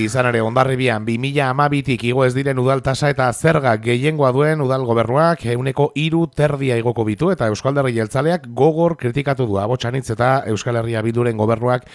Izan ere, Hondarribian 2012tik igo ez diren udal tasa eta zerga gehiengoa duen udal gobernuak 3% igoko bitu eta Euskal Alderdi Jeltzaleak gogor kritikatu du Abotsanitz eta Euskal Herria Bilduren gobernuak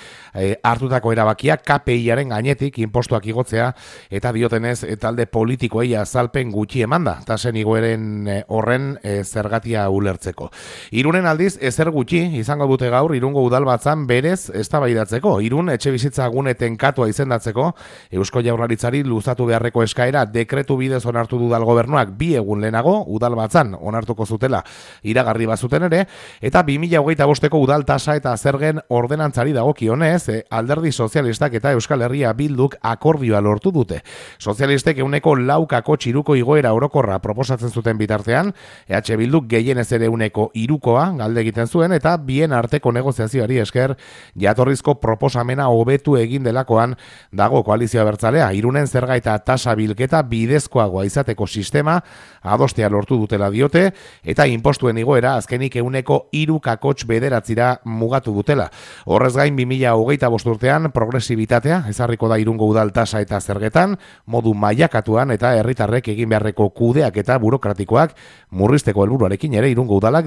hartutako erabakiak KPIaren gainetik inpostuak igotzea eta diotenez talde politikoei azalpen gutxi emanda tasen igoeren horren zergatia ulertzeko. Irunen aldiz ezer gutxi izango dute gaur Irungo udalbatzan berez eztabaidatzeko. Irun etxebizitza gune tenkatua izendatzeko Eusko Jaurlaritzari luzatu beharreko eskaera dekretu bidez onartu du udal gobernuak 2 egun lehenago udalbatzan onartuko zutela iragarri bazuten ere eta 2025ko udal tasa eta zergen ordenantzari dagokionez Alderdi Sozialistak eta Euskal Herria Bilduk akordioa lortu dute. Sozialistek 4% txiruko igoera orokorra proposatzen zuten bitartean, EH Bilduk gehienez ere 3%koa galde egiten zuen eta bien arteko negoziazioari esker jatorrizko proposamena hobetu egin delakoan dago koalizioa bertzalea. Irunen zerga eta tasa bilketa bidezkoagoa izateko sistema adostea lortu dutela diote eta inpostuen igoera azkenik 3,9% mugatu dutela. Horrez gain 2025 urtean progresibitatea ezarriko da Irungo udal tasa eta zergetan modu mailakatuan eta herritarrek egin beharreko kudeak eta burokratikoak murrizteko helburuarekin ere Irungo udalak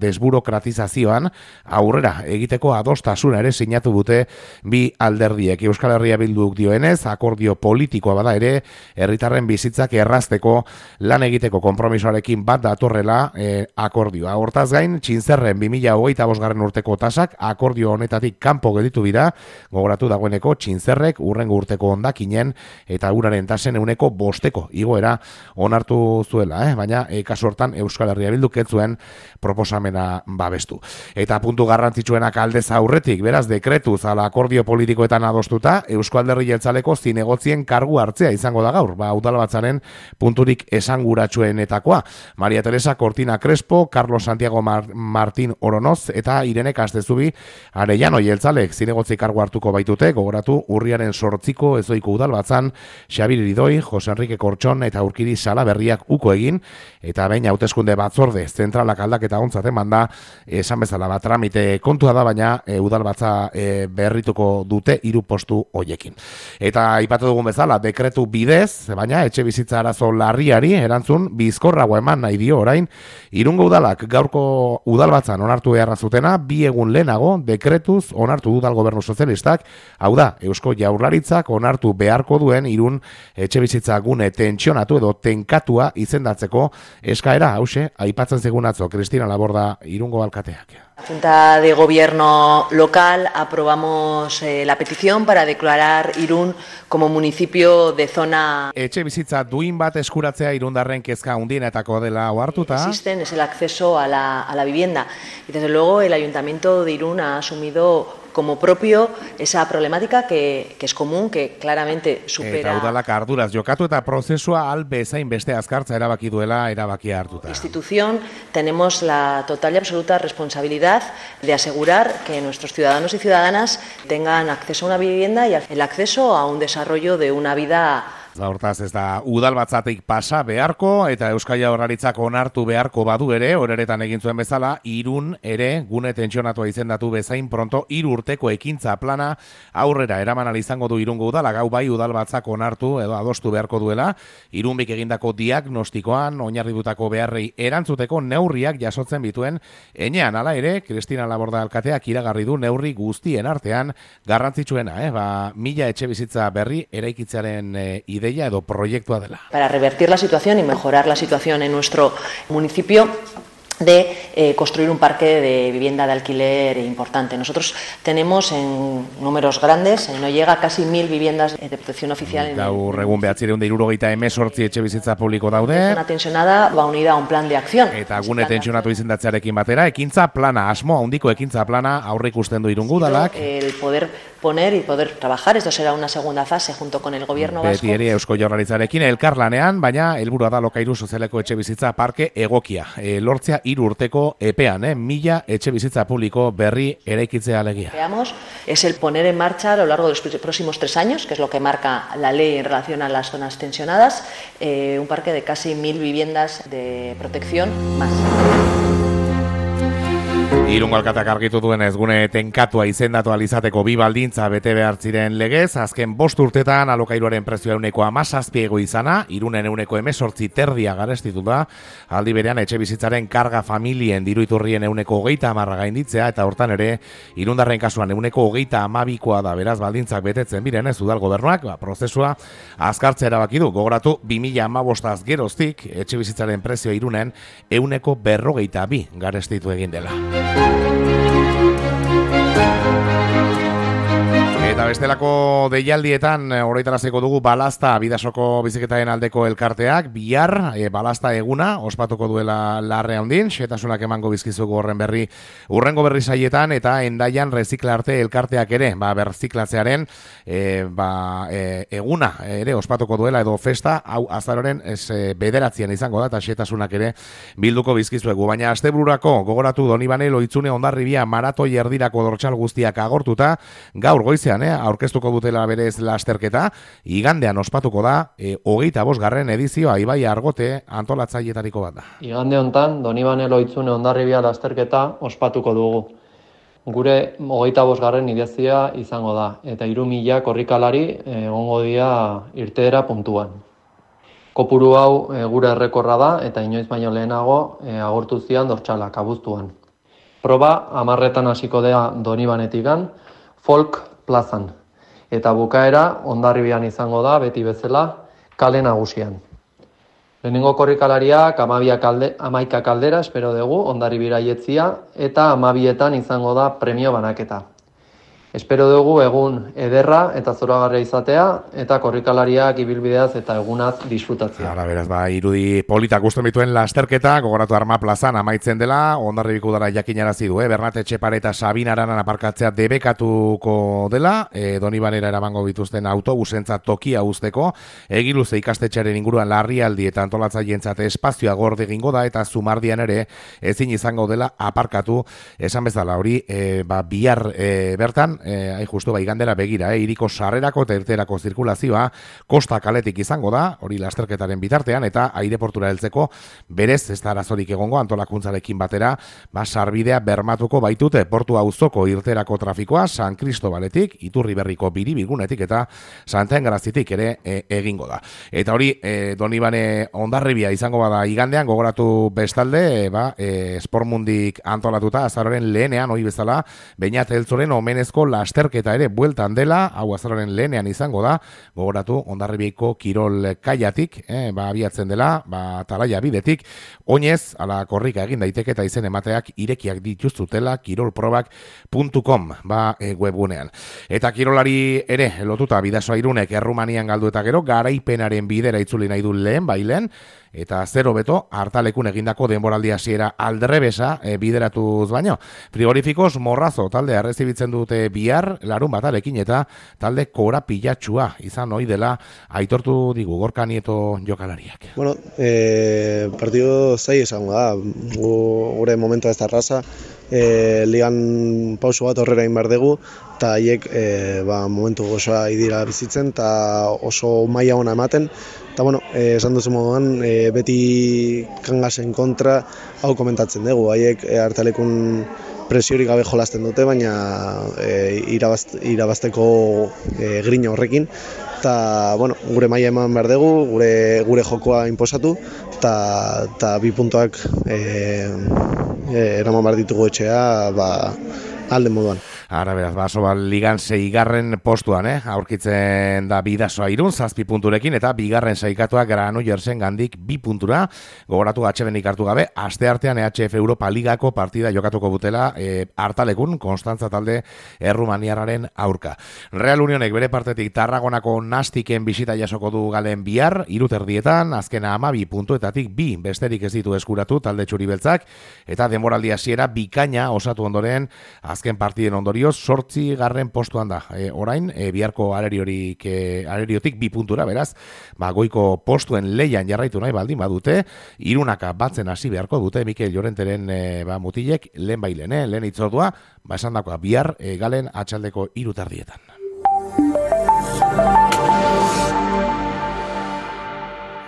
desburokratizazioan aurrera egiteko adostasuna ere sinatu dute bi alderdiek. Euskal Herria Bilduk dioenez akordio politikoa bada ere herritarren bizitzak errazteko lan egiteko konpromisoarekin bat datorrela akordioa. Hortaz gain, Txintzerren 2025 urteko tasak akordio honetatik kanpo gelditu dira, gogoratu dagoeneko Txintzerrek urrengo urteko hondakinen eta uraren tasen 5% igoera onartu zuela, baina kasu hortan Euskal Herria Bilduk ez zuen proposamena babestu. Eta puntu garrantzitsuenak aldez aurretik, beraz dekretuz ala akordio politikoetan adostuta, Eusko Alderdi Jeltzaleko zinegotzien kargu hartzea izango da gaur, udalbatzaren punturik esanguratsuenetakoa. Maria Teresa Cortina Crespo, Carlos Santiago Martín Oronoz eta Irene Castezubi Arellano Jeltzalek zinegotzi kargu hartuko baitute, gogoratu urriaren 8ko ezoiko udalbatzan Xabir Iridoi, Jose Enrique Kortxon eta Urkiri Salaberriak uko egin, eta behin hauteskunde batzorde zentralak aldaketa ontzat emanda, esan bezala tramite kontua da, baina udalbatza berrituko dute 3 postu hoiekin. Eta aipatu dugun bezala, dekretu bidez, baina etxe bizitza arazo larriari erantzun bizkorrago eman nahi dio orain, Irungo udalak gaurko udalbatzan onartu beharra zutena, 2 egun lehenago dekretuz onartu du udal gobernu sozialistak, hau da, Eusko Jaurlaritzak onartu beharko duen Irun etxe bizitza gune tentsionatu edo tenkatua izendatzeko eskaera, hause, aipatzen zigun atzo, Cristina Laborda Irungo alkateak. La Junta de Gobierno local aprobamos la petición para declarar Irún como municipio de zona. Etxe bizitza duin bat eskuratzea Irundarren kezka handienetako dela ohartuta. Existen es el acceso a la vivienda y desde luego el Ayuntamiento de Irún ha asumido como propio esa problemática que es común, que claramente supera. Eta udalak arduraz jokatu eta prozesua bezain beste azkartza erabaki duela erabakia hartuta. Institución tenemos la total y absoluta responsabilidad de asegurar que nuestros ciudadanos y ciudadanas tengan acceso a una vivienda y el acceso a un desarrollo de una vida. Hortaz ez da udalbatzatik pasa beharko eta Euskal Jaurlaritzak onartu beharko badu ere, horeretan egin zuen bezala, Irun ere gune tentsionatua izendatu bezain pronto 3 urteko ekintza plana aurrera eraman ahal izango du Irungo udala, gau bai udalbatzak onartu edo adostu beharko duela, Irunbik egindako diagnostikoan oinarritutako beharrei erantzuteko neurriak jasotzen bituen enean, hala ere, Cristina Laborda alkateak iragarri du neurri guztien artean garrantzitsuena, 1000 etxe bizitza berri eraikitzearen ideia edo proiektua dela. Para revertir la situación y mejorar la situación en nuestro municipio de construir un parque de vivienda de alquiler importante. Nosotros tenemos en números grandes, no llega a casi 1000 viviendas de protección oficial. Gaur egun 978 etxe bizitza publiko daude. Una tensionada va unida a un plan de acción. Eta gune tensionatu izendatzearekin batera, ekintza plana, asmo handiko ekintza plana aurreikusten du Irungo udalak. El poder poner y poder trabajar, esto será una segunda fase junto con el gobierno vasco. Beti ere Eusko Jaurlaritzarekin elkarlanean, baina helburua da Lokairu sozialeko etxe bizitza parke egokia. Lortzea 3 urteko epean, 1000 etxe bizitza publiko berri eraikitzea alegia. Veamos, es el poner en marcha a lo largo de los próximos 3 años, que es lo que marca la ley en relación a las zonas tensionadas, un parque de casi 1000 viviendas de protección más. Irungo alkateak argitu duenez, gune tenkatua izendatu alizateko bi baldintza bete behar ziren legez, azken 5 urtetan alokairuaren prezioa 17 izana, Irunen 18 garestitu da, aldi berean etxe bizitzaren karga familien diruiturrien 30 gainditzea, eta hortan ere, Irundarren kasuan 32 da, beraz baldintzak betetzen biren ez udal gobernuak, prozesua azkartzea erabaki du, gogoratu 2015 geroztik, etxe bizitzaren prezioa Irunen 152 garestitu egin dela. Eta bestelako deialdietan oroitaraziko dugu Balazta Bidasoko biziketaren aldeko elkarteak bihar Balazta eguna ospatuko duela Larre Handin, xetasunak emango bizkizuko horren berri urrengo berri saietan, eta Hendaian Reziklarte elkarteak ere berziklatzearen eguna ere ospatuko duela edo festa, hau azaroren 9 izango da, eta xetasunak ere bilduko bizkizuegu, baina astebururako gogoratu Donibane Loitzune Hondarribia maratoi erdirako dortsal guztiak agortuta, gaur goizean aurkeztuko dutela berez lasterketa, igandean ospatuko da 25. edizioa Ibai Argote antolatzailetariko bat da. Igande hontan Donibane Loitzune Hondarribia lasterketa ospatuko dugu. Gure 25. edizioa izango da, eta 3.000 korrikalari egongo dira irteera puntuan. Kopuru hau gure errekorra da, eta inoiz baino lehenago agortu zian dortsalak abuztuan. Proba 10 hasiko da Donibanetikan, Folk plazan, eta bukaera Hondarribian izango da, beti bezala, kale nagusian. Lehenengo korrikalariak 11 kaldera espero dugu Hondarribira jetzia, eta 12etan izango da premio banaketa. Espero dugu egun ederra eta zoragarria izatea, eta korrikalariak ibilbideaz eta egunaz disfrutatzea. Ara, beraz, irudi politak gusten bituen lasterketa, gogoratu Arma plazan amaitzen dela, Hondarribiko udara jakinarazi du, Bernat Etxepare eta Sabin Aranan aparkatzea debekatuko dela, Donibanera eramango bituzten autobusentzat tokia uzteko, Egiluze ikastetxearen inguruan larrialdi eta antolatzaientzat espazioa gorde egingo da, eta Zumardian ere ezin izango dela aparkatu, esan bezala hori, bihar bertan, justu igandera begira, hiriko sarrerako eta irterako zirkulazioa Kosta kaletik izango da, hori lasterketaren bitartean, eta aireportura heltzeko berez ez da arazorik egongo antolakuntzarekin batera, sarbidea bermatuko baitute portu auzoko irterako trafikoa San Cristobaletik, Iturriberriko Biribigunetik eta Santa Engrazitik ere egingo da. Eta hori, Donibane Hondarribia izango bada igandean, gogoratu bestalde, Sportmundik antolatuta azaroren lehenean, hori bezala, Beñat Eltzoren omenezko lasterketa ere bueltan dela, hau azaroren lehenean izango da, gogoratu Hondarribiako kirol kaiatik, abiatzen dela, talaia bidetik, oinez, ala korrika egin daiteke eta izen emateak irekiak dituztutela kirolprobak.com webgunean. Eta kirolari ere lotuta Bidasoa Irunek Errumanian galdu eta gero, garaipenaren bidera itzuli nahi du lehen bailen, eta 0 beto hartalekun egindako denboraldi hasiera aldrebesa bideratuz baino. Frigorifikos Morrazo talde errezibitzen dute bihar larun batarekin, eta talde korapilatxua izan ohi dela aitortu digu Gorka Nieto jokalariak. Bueno, partido zai izango da, gure momentua ez da erraza, ligan pauso bat horrera egin behar dugu, eta haiek momentu gozoa idira bizitzen, eta oso maila ona ematen, eta bueno, esan duzu moduan, beti Kangasen kontra hau komentatzen dugu, haiek hartalekun presiorik gabe jolasten dute, baina irabazteko grina horrekin, eta bueno, gure maila eman behar dugu, gure jokoa inposatu, eta 2 puntuak eraman behar ditugu etxea alde moduan. Ara beraz, ligan 6. postuan, aurkitzen da Bidasoa Irun 7 punturekin, eta 2. saikatua Granoillersen gandik 2 puntura, gogoratu HB-nik hartu gabe, asteartean EHF Europa Ligako partida jokatuko dutela hartalekun Konstantza talde Errumaniarraren aurka. Real Unionek bere partetik Tarragonako Nastiken bisita jasoko du galen bihar, 3:00 azkena 12 puntuetatik 2 besterik ez ditu eskuratu talde txuri-beltzak, eta denboraldi hasiera bikaina osatu ondoren azken partiden ondorioz 8. postuan da. Orain, biharko areriotik 2 puntura, beraz, goiko postuen leian jarraitu nahi baldin badute, Irunaka batzen hasi beharko dute Mikel Llorenteren mutilek lehen bailen, lehen itzordua, esan dakoa bihar galen atxaldeko 3:00.